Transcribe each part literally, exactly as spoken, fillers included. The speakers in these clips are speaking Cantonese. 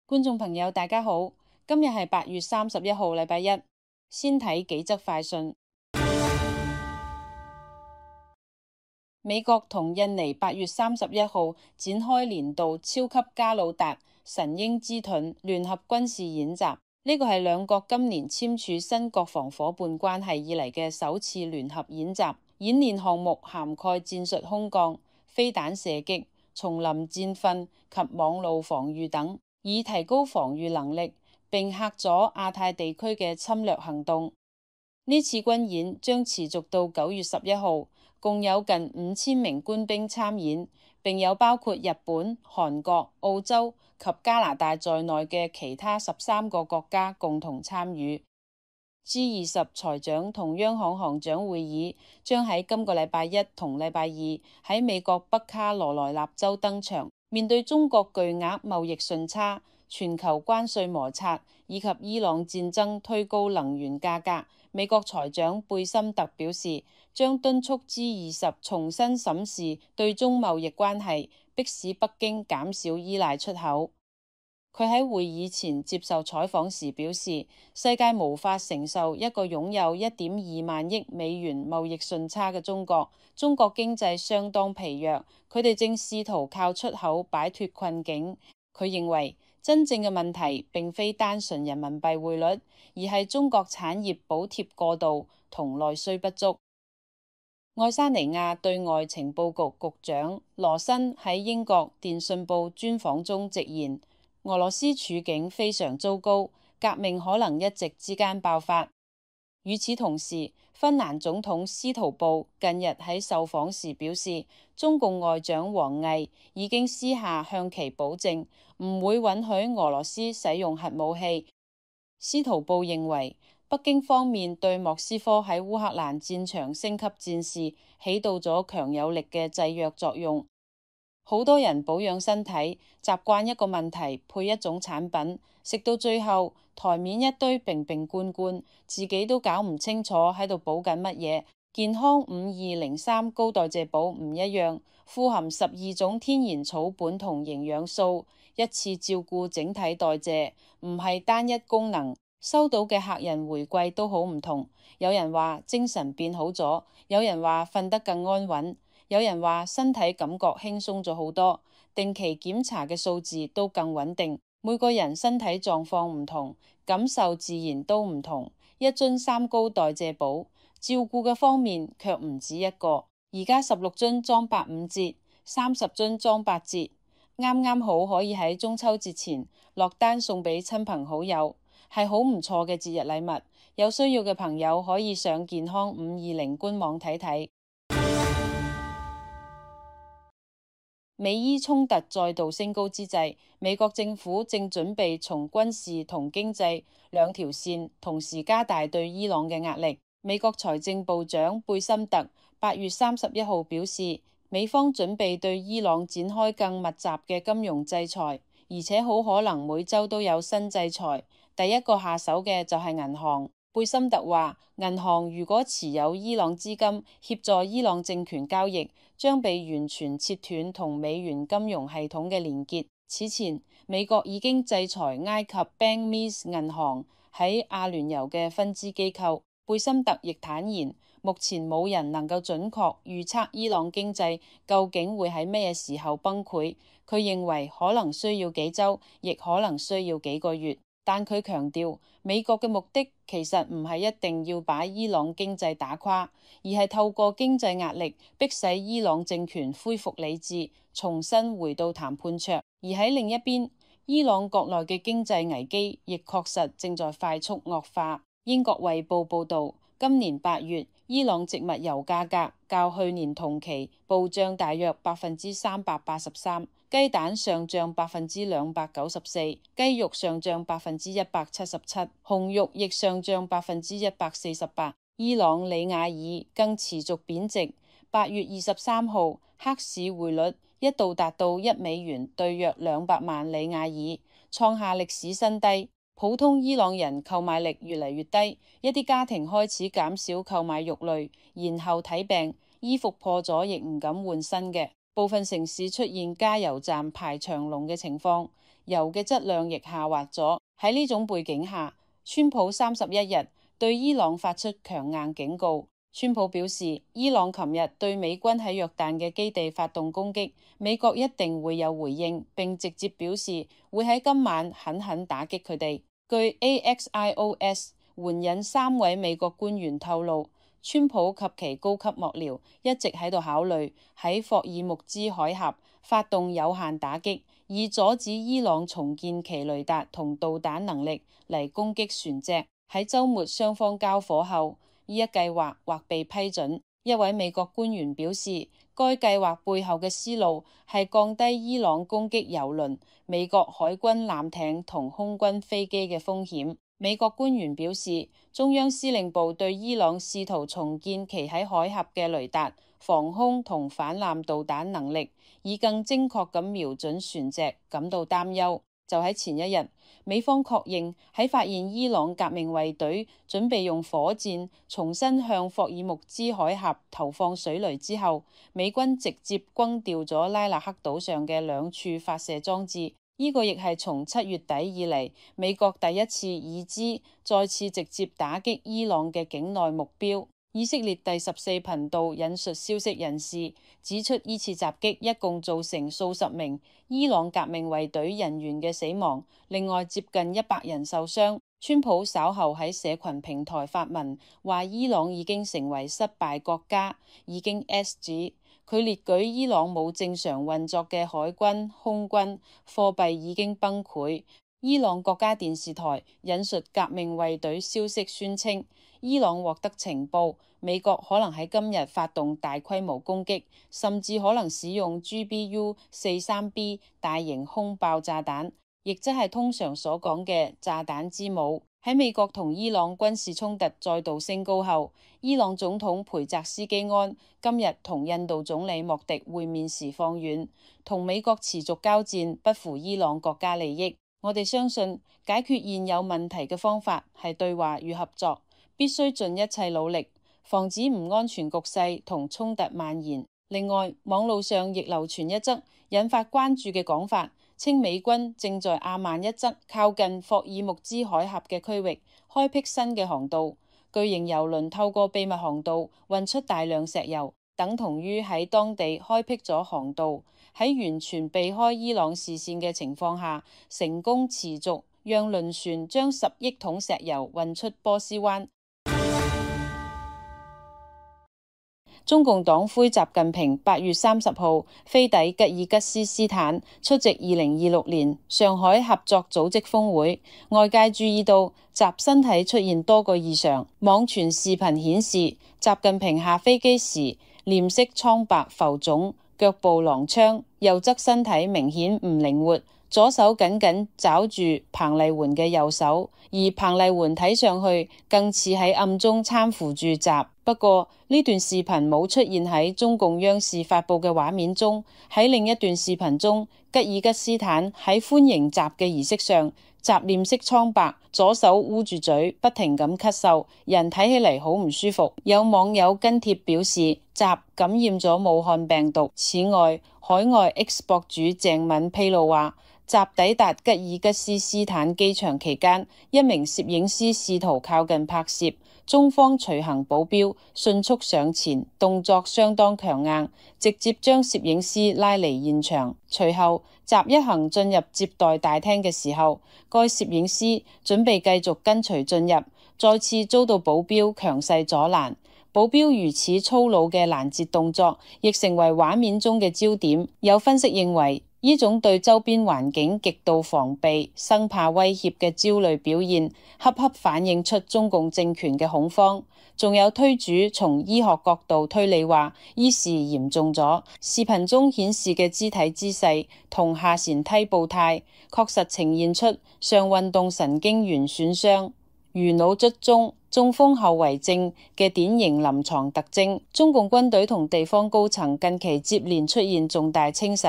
觀眾朋友大家好，今日係八月三十一號，禮拜一。先睇幾則快訊。美國同印尼八月三十一號展開年度超級加魯達神鷹之盾聯合軍事演習，呢個係兩國今年簽署新國防夥伴關係以嚟嘅首次聯合演習。演練項目涵蓋戰術空降、飛彈射擊、叢林戰訓及網路防禦等，以提高防禦能力，並嚇阻亞太地區嘅侵略行動。呢次軍演將持續到九月十一號，共有近五千名官兵參演，並有包括日本、韓國、澳洲及加拿大在內嘅其他十三個國家共同參與。G 二十財長同央行行長會議將喺今個禮拜一同禮拜二喺美國北卡羅來納州登場。面對中國巨額貿易順差、全球關稅摩擦以及伊朗戰爭推高能源價格，美國財長貝森特表示，將敦促 G 二十重新審視對中貿易關係，迫使北京減少依賴出口。佢喺會議前接受採訪時表示，世界無法承受一個擁有一點二萬億美元貿易順差嘅中國。中國經濟相當疲弱，佢哋正試圖靠出口擺脫困境。佢認為真正嘅問題並非單純人民幣匯率，而係中國產業補貼過度同內需不足。愛沙尼亞對外情報局局長羅申喺英國電訊報專訪中直言，俄羅斯處境非常糟糕，革命可能一夕之間爆發。與此同時，芬蘭總統司徒布近日喺受訪時表示，中共外長王毅已經私下向其保證，唔會允許俄羅斯使用核武器。司徒布認為，北京方面對莫斯科喺烏克蘭戰場升級戰事起到咗強有力嘅制約作用。好多人保養身體，習慣一個問題配一種產品，食到最後台面一堆瓶瓶罐罐，自己都搞唔清楚喺度補緊乜嘢。健康五二零三高代謝補唔一樣，富含十二種天然草本同營養素，一次照顧整體代謝，唔係單一功能。收到嘅客人回饋都好唔同，有人話精神變好咗，有人話瞓得更安穩，有人話身體感覺輕鬆咗好多，定期檢查嘅數字都更穩定。每個人身體狀況唔同，感受自然都唔同。一樽三高代謝補，照顧嘅方面卻唔止一個。而家十六樽裝八五折，三十樽裝八折，啱啱好可以喺中秋節前落單送俾親朋好友，係好唔錯嘅節日禮物。有需要嘅朋友可以上健康五二零官網睇睇。美伊衝突再度升高之際，美國政府正準備從軍事同經濟兩條線同時加大對伊朗嘅壓力。美國財政部長貝森特八月三十一號表示，美方準備對伊朗展開更密集嘅金融制裁，而且好可能每週都有新制裁。第一個下手嘅就係銀行。貝森特話，銀行如果持有伊朗資金協助伊朗政權交易，將被完全切斷同美元金融系統嘅連結。此前，美國已經制裁埃及 Bank-Mezz 銀行喺阿聯酋嘅分支機構。貝森特亦坦言，目前冇人能夠準確預測伊朗經濟究竟會喺咩時候崩潰。佢認為可能需要幾週，亦可能需要幾個月。但佢強調，美國嘅目的其實唔係一定要把伊朗經濟打垮，而係透過經濟壓力迫使伊朗政權恢復理智，重新回到談判桌。而喺另一邊，伊朗國內嘅經濟危機亦確實正在快速惡化。英國衛報報導，今年八月，伊朗植物油價格較去年同期暴漲大約百分之三百八十三。雞蛋上漲百分之兩百九十四，雞肉上漲百分之一百七十七，紅肉亦上漲百分之一百四十八。伊朗里雅爾更持續貶值，八月二十三號黑市匯率一度達到一美元兌約兩百萬里雅爾，創下歷史新低。普通伊朗人購買力越嚟越低，一啲家庭開始減少購買肉類，然後睇病，衣服破咗亦唔敢換新嘅。部分城市出現加油站排長龍嘅情況，油嘅質量亦下滑咗。喺呢種背景下，川普三十一日對伊朗發出強硬警告。川普表示，伊朗琴日對美軍喺約旦嘅基地發動攻擊，美國一定會有回應，並直接表示會喺今晚狠狠打擊佢哋。據 A X I O S 援引三位美國官員透露，川普及其高級幕僚一直喺度考慮喺霍爾木茲海峽發動有限打擊，以阻止伊朗重建其雷達同導彈能力嚟攻擊船隻。喺週末雙方交火後，呢一計劃或被批准。一位美國官員表示，該計劃背後嘅思路係降低伊朗攻擊油輪、美國海軍艦艇同空軍飛機嘅風險。美國官員表示，中央司令部對伊朗試圖重建其喺海峽嘅雷達、防空同反艦導彈能力，以更精確咁瞄準船隻感到擔憂。就喺前一日，美方確認喺發現伊朗革命衛隊準備用火箭重新向霍爾木茲海峽投放水雷之後，美軍直接轟掉咗拉納克島上嘅兩處發射裝置。呢個亦係從七月底以嚟美國第一次已知再次直接打擊伊朗嘅境內目標。以色列第十四頻道引述消息人士指出，呢次襲擊一共造成數十名伊朗革命衛隊人員嘅死亡，另外接近一百人受傷。川普稍後喺社群平台發文話，伊朗已經成為失敗國家，已經 S 指佢列舉伊朗冇正常運作嘅海軍、空軍，貨幣已經崩潰。伊朗國家電視台引述革命衛隊消息宣稱，伊朗獲得情報，美國可能喺今日發動大規模攻擊，甚至可能使用 G B U 四十三 B 大型空爆炸彈，亦即係通常所講嘅炸彈之母。喺美國同伊朗軍事衝突再度升高後，伊朗總統培澤斯基安今日同印度總理莫迪會面時放軟，同美國持續交戰不符伊朗國家利益。我哋相信解決現有問題嘅方法係對話與合作，必須盡一切努力防止唔安全局勢同衝突蔓延。另外，網路上亦流傳一則引發關注嘅講法，稱美軍正在阿曼一側靠近霍爾木茲海峽嘅區域開闢新嘅航道，巨型油輪透過秘密航道運出大量石油，等同於喺當地開闢咗航道。喺完全避開伊朗視線嘅情況下，成功持續讓輪船將十億桶石油運出波斯灣。中共黨魁習近平八月三十號飛抵吉爾吉斯斯坦出席二零二六年上海合作組織峰會，外界注意到習身體出現多個異常。網傳視頻顯示，習近平下飛機時臉色蒼白浮腫，腳步踉蹌，右側身體明顯唔靈活，左手緊緊抓住彭麗媛嘅右手，而彭麗媛睇上去更似喺暗中攙扶住習。不過呢段視頻冇出現喺中共央視發佈嘅畫面中。喺另一段視頻中，吉爾吉斯坦喺歡迎習嘅儀式上，習臉色蒼白，左手捂住嘴，不停咁咳嗽，人睇起嚟好唔舒服。有網友跟帖表示，習感染咗武漢病毒。此外，海外 X 博主鄭敏披露話，習抵達吉爾吉斯斯坦機場期間，一名攝影師試圖靠近拍攝，中方隨行保鏢迅速上前，動作相當強硬，直接將攝影師拉離現場。隨後，習一行進入接待大廳嘅時候，該攝影師準備繼續跟隨進入，再次遭到保鏢強勢阻攔。保鏢如此粗魯嘅攔截動作，亦成為畫面中嘅焦點。有分析認為，呢種對周邊環境極度防備、生怕威脅嘅焦慮表現，恰恰反映出中共政權嘅恐慌。仲有推主從醫學角度推理話，醫事嚴重咗。視頻中顯示嘅肢體姿勢同下舷梯步態，確實呈現出上運動神經元損傷、魚腦卒中、中風後遺症嘅典型臨床特徵。中共軍隊同地方高層近期接連出現重大清洗，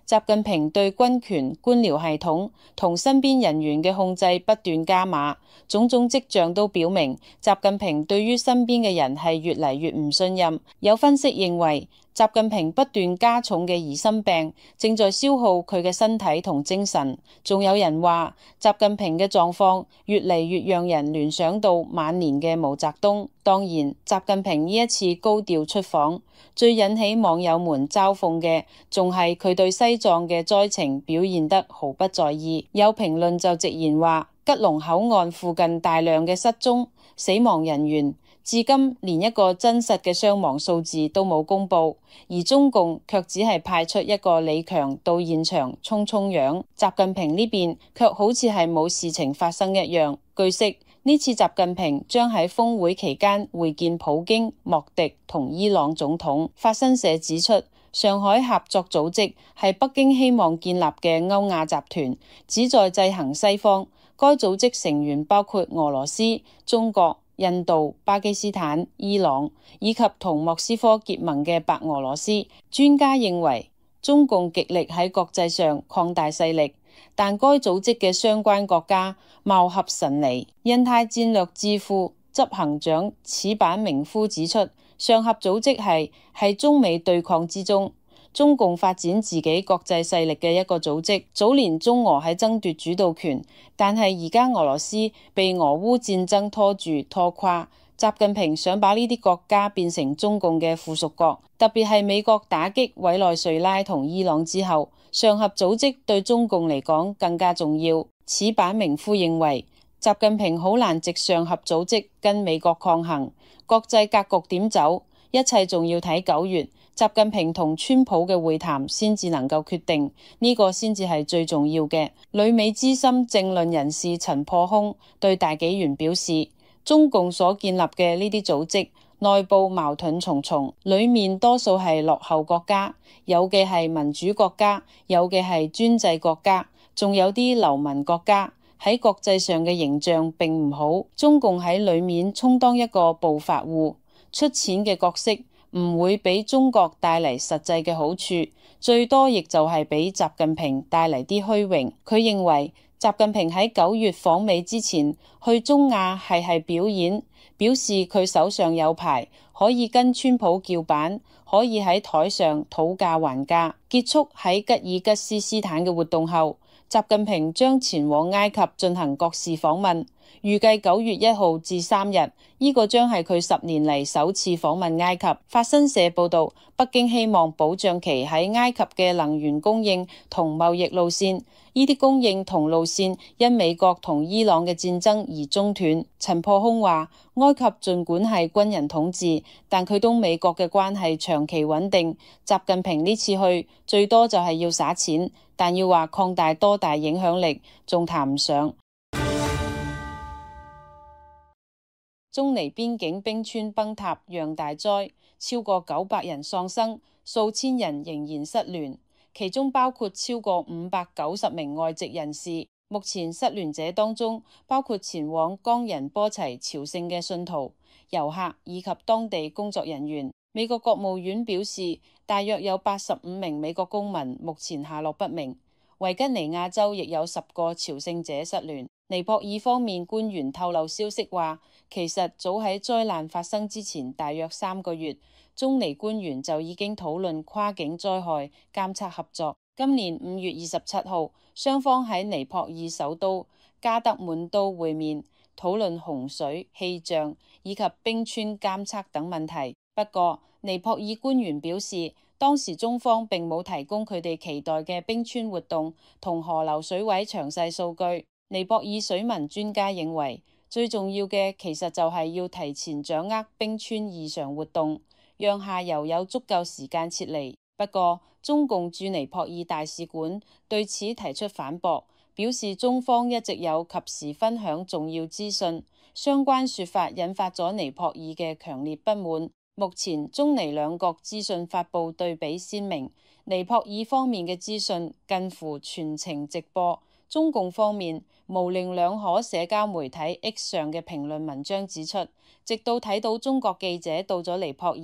習近平對軍權、官僚系統同身邊人員嘅控制不斷加碼，種種跡象都表明習近平對於身邊嘅人係越嚟越唔信任。有分析認為，習近平不斷加重嘅疑心病正在消耗佢嘅身體同精神。仲有人話，習近平嘅狀況越嚟越讓人聯想到晚年嘅毛澤東。當然，習近平呢一次高調出訪，最引起網友們嘲諷嘅，仲係佢對西藏嘅災情表現得毫不在意。有評論就直言話，吉隆口岸附近大量嘅失蹤死亡人員，至今連一個真實嘅傷亡數字都冇公布，而中共卻只係派出一個李強到現場衝衝樣，習近平呢邊卻好似係冇事情發生一樣。據悉，呢次習近平將喺峰會期間會見普京、莫迪同伊朗總統。法新社指出，上海合作組織係北京希望建立嘅歐亞集團，旨在制衡西方。該組織成員包括俄羅斯、中國、印度、巴基斯坦、伊朗以及同莫斯科結盟嘅白俄羅斯。專家認為，中共極力喺國際上擴大勢力，但該組織嘅相關國家貌合神離。印太戰略智庫執行長矢板明夫指出，上合組織係喺中美對抗之中，中共發展自己國際勢力嘅一個組織。早年中俄喺爭奪主導權，但係而家俄羅斯被俄烏戰爭拖住拖垮，習近平想把呢啲國家變成中共嘅附屬國，特別係美國打擊委內瑞拉同伊朗之後，上合組織對中共嚟講更加重要。矢板明夫認為，習近平好難藉上合組織跟美國抗衡，國際格局點走，一切仲要睇九月習近平同川普嘅會談先至能夠決定，呢個先至係最重要嘅。旅美資深政論人士陳破空對大紀元表示，中共所建立嘅呢啲組織內部矛盾重重，裡面多數係落後國家，有嘅係民主國家，有嘅係專制國家，仲有啲流民國家，喺國際上嘅形象並唔好。中共喺裡面充當一個暴發戶，出錢嘅角色唔會俾中國帶嚟實際嘅好處，最多亦就係俾習近平帶嚟啲虛榮。佢認為習近平喺九月訪美之前去中亞係係表演，表示佢手上有牌，可以跟川普叫板，可以喺台上討價還價。結束喺吉爾吉斯斯坦嘅活動後，習近平將前往埃及進行國事訪問，預計九月一號至三日，呢個將係佢十年嚟首次訪問埃及。法新社報道，北京希望保障其喺埃及嘅能源供應同貿易路線，呢啲供應同路線因美國同伊朗嘅戰爭而中斷。陳破空話，埃及儘管係軍人統治，但佢同美國嘅關係長期穩定。習近平呢次去最多就係要撒錢，但要話擴大多大影響力，仲談唔上。中尼邊境冰川崩塌釀大災，超過九百人喪生，數千人仍然失聯，其中包括超過五百九十名外籍人士。目前失聯者當中包括前往岡仁波齊朝聖嘅信徒、遊客以及當地工作人員。美國國務院表示，大約有八十五名美國公民目前下落不明。維吉尼亞州亦有十個朝聖者失聯。尼泊爾方面官員透露消息話，其實早喺災難發生之前大約三個月，中尼官員就已經討論跨境災害監測合作。今年五月二十七號，雙方喺尼泊爾首都加德滿都會面，討論洪水、氣象以及冰川監測等問題。不過，尼泊爾官員表示，當時中方並冇提供佢哋期待嘅冰川活動同河流水位詳細數據。尼泊爾水文專家認為，最重要嘅其實就係要提前掌握冰川異常活動，讓下游有足夠時間撤離。不過，中共駐尼泊爾大使館對此提出反駁，表示中方一直有及時分享重要資訊，相關說法引發咗尼泊爾嘅強烈不滿。目前中尼兩國資訊發布對比鮮明，尼泊爾方面嘅資訊近乎全程直播。中共方面模棱兩可社交媒體 X 上嘅評論文章指出，直到睇到中國記者到咗尼泊爾，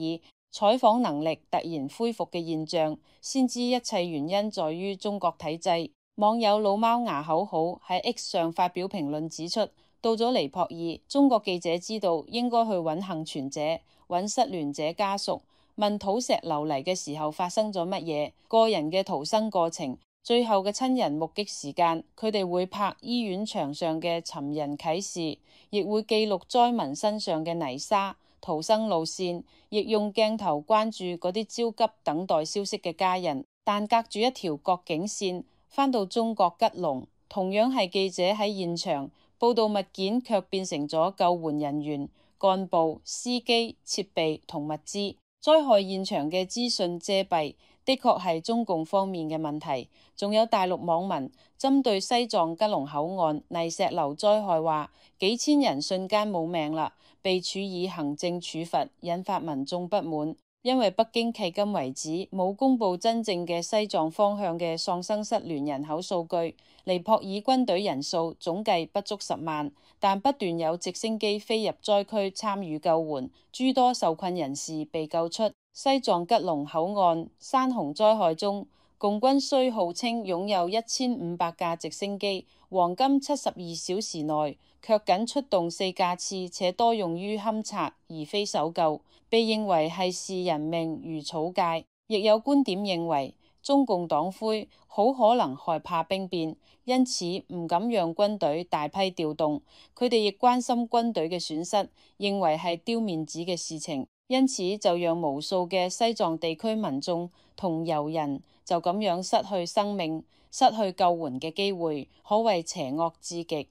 採訪能力突然恢復嘅現象，先知一切原因在於中國體制。網友老貓牙口好喺 X 上發表評論指出，到咗尼泊爾，中國記者知道應該去揾幸存者、揾失聯者家屬，問土石流嚟嘅時候發生咗乜嘢，個人嘅逃生過程，最後嘅親人目擊時間。佢哋會拍醫院牆上嘅尋人啟事，亦會記錄災民身上嘅泥沙、逃生路線，亦用鏡頭關注嗰啲焦急等待消息嘅家人。但隔住一條國境線，返到中國吉隆，同樣係記者喺現場，報道物件卻變成咗救援人員、幹部、司機、設備同物資。災害現場嘅資訊遮蔽，的確係中共方面嘅問題。仲有大陸網民針對西藏吉隆口岸泥石流災害話，幾千人瞬間冇命啦，被處以行政處罰，引發民眾不滿。因為北京迄今為止冇公布真正嘅西藏方向嘅喪生失聯人口數據，尼泊爾軍隊人數總計不足十萬，但不斷有直升機飛入災區參與救援，諸多受困人士被救出。西藏吉隆口岸山洪災害中，共軍雖號稱擁有一千五百架直升機，黃金七十二小時內卻僅出動四架次，且多用於勘察而非搜救，被認為係視人命如草芥。亦有觀點認為，中共黨魁好可能害怕兵變，因此唔敢讓軍隊大批調動。佢哋亦關心軍隊嘅損失，認為係丟面子嘅事情，因此就讓無數嘅西藏地區民眾同遊人就咁樣失去生命、失去救援嘅機會，可謂邪惡至極。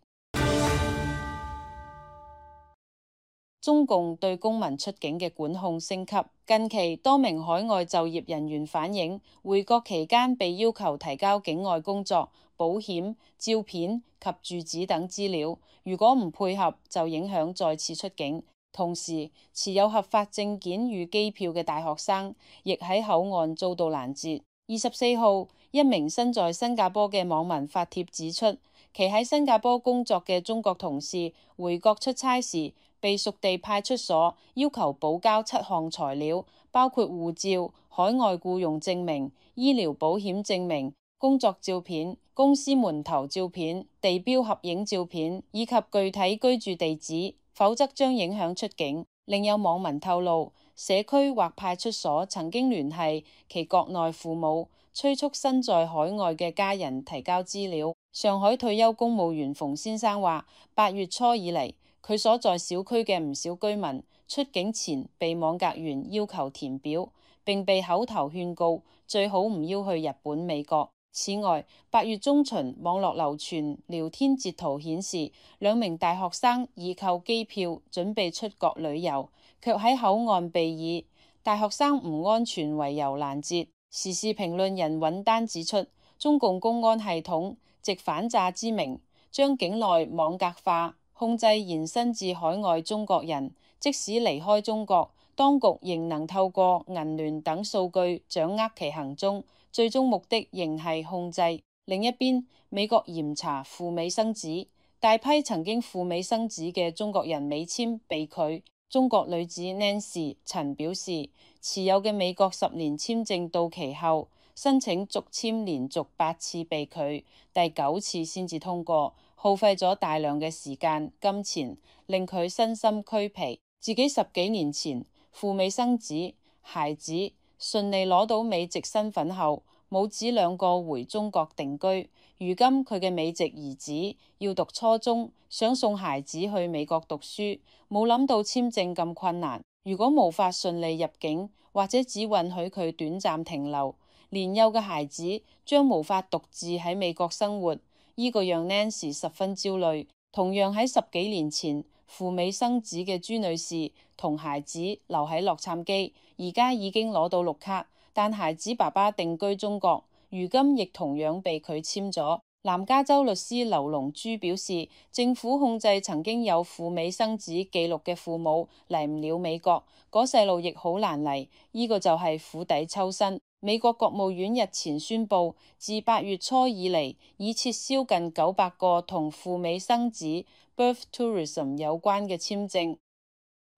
中共對公民出境嘅管控升級。近期多名海外就業人員反映，回國期間被要求提交境外工作、保險、照片及住址等資料，如果唔配合就影響再次出境。同時，持有合法證件與機票嘅大學生亦喺口岸遭到攔截。二十四號，一名身在新加坡嘅網民發帖指出，其喺新加坡工作嘅中國同事回國出差時，被屬地派出所要求補交七項材料，包括護照、海外僱用證明、醫療保險證明、工作照片、公司門頭照片、地標合影照片以及具體居住地址，否則將影響出境。另有網民透露，社區或派出所曾經聯繫其國內父母，催促身在海外嘅家人提交資料。上海退休公務員馮先生話，八月初以嚟，佢所在小區嘅唔少居民出境前被網格員要求填表，並被口頭勸告最好唔要去日本、美國。此外，八月中旬網絡流傳聊天截圖顯示，兩名大學生已購機票準備出國旅遊，卻喺口岸被以大學生唔安全為由攔截。時事評論人尹丹指出，中共公安系統藉反詐之名，將境內網格化控制延伸至海外中國人，即使離開中國，當局仍能透過銀聯等數據掌握其行蹤，最終目的仍係控制。另一邊，美國嚴查赴美生子，大批曾經赴美生子嘅中國人美簽被拒。中國女子 Nancy 陳表示，持有嘅美國十年簽證到期後，申請續簽連續八次被拒，第九次先至通過，耗費咗大量嘅時間、金錢，令佢身心俱疲。自己十幾年前赴美生子，孩子順利攞到美籍身份後，母子兩個回中國定居。如今佢嘅美籍兒子要讀初中，想送孩子去美國讀書，冇諗到簽證咁困難。如果無法順利入境，或者只允許佢短暫停留，年幼嘅孩子將無法獨自喺美國生活。呢個讓 Nancy 十分焦慮。同樣喺十幾年前赴美生子嘅朱女士同孩子留喺洛杉磯，而家已經攞到綠卡，但孩子爸爸定居中國，如今亦同樣被拒簽咗。南加州律師劉龍珠表示，政府控制曾經有赴美生子記錄嘅父母嚟唔了美國，嗰細路亦好難嚟，呢個就係釜底抽薪。美國國務院日前宣布，自八月初以嚟，已撤銷近九百個同赴美生子 birth tourism 有關嘅簽證。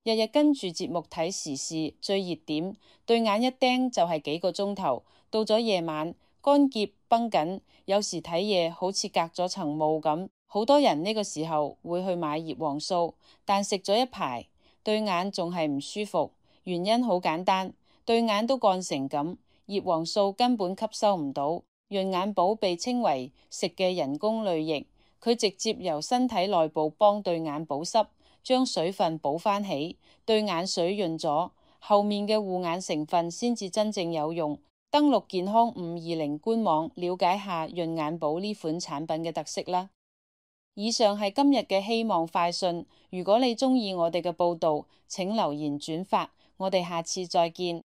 日日跟住節目睇時事最熱點，對眼一盯就係幾個鐘頭。到咗夜晚，乾澀繃緊，有時睇嘢好似隔咗層霧咁。好多人呢個時候會去買葉黃素，但食咗一排，對眼仲係唔舒服。原因好簡單。對眼都乾成咁，葉黃素根本吸收唔到。潤眼寶被稱為食嘅人工淚液，佢直接由身體內部幫對眼保濕，將水分補返起，對眼水潤咗，後面嘅護眼成分先至真正有用。登錄健康五二零官網，了解下潤眼寶呢款產品嘅特色啦。以上係今日嘅希望快訊，如果你鍾意我哋嘅報道，請留言轉發，我哋下次再見。